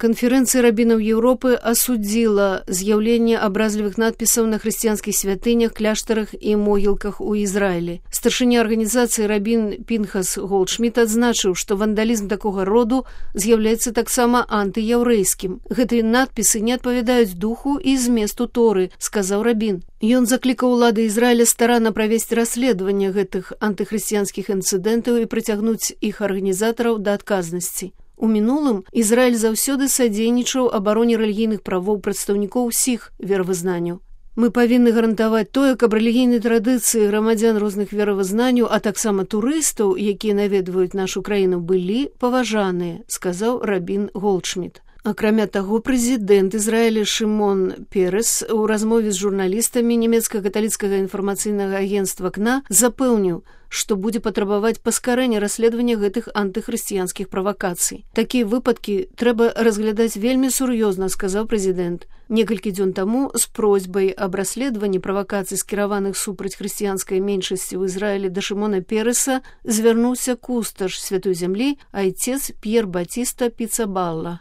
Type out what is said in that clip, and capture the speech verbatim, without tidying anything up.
Конференция раббинов Европы осудила з'явление образливых надписов на христианских святынях, кляштарах и могилках у Израиле. Старшыня организации раббин Пінхас Голдшміт адзначыў, што вандалізм такога роду з'яўляецца таксама антыяўрэйскім. Гэтыя надпісы не адпавядаюць духу і зместу Торы, сказаў раббин. Ён заклікаў улады Ізраіля старанна правесці расследаванне гэтых антыхрысціянскіх інцыдэнтаў і прыцягнуць іх арганізатараў да адказнасці. У мінулым Ізраіль заўсёды садзейнічаў абароне рэлігійных правоў прадстаўнікоў усіх веравызнанняў. Мы павінны гарантаваць тое, каб рэлігійныя традыцыі грамадзян розных веравызнанняў, а таксама турыстаў, якія наведваюць нашу краіну, былі паважаныя, сказаў раббин Голдшміт. Акрамя таго, прэзідэнт Ізраіля Шымон Перес у размове з журналістамі нямецка-каталіцкага інфармацыйнага агенцтва КНА запэўніў, што будзе патрабаваць паскарэння расследавання гэтых антыхрысціянскіх правакацый. Такія выпадкі трэба разглядаць вельмі сур'ёзна, сказаў прэзідэнт. Некалькі дзён таму з просьбай аб расследаванні правакацый, скіраваных супраць хрысціянскай меншасці ў Ізраілі, да Шымона Переса звярнуўся кусташ Святой зямлі, айцец П'ер Батіста Піцабалла.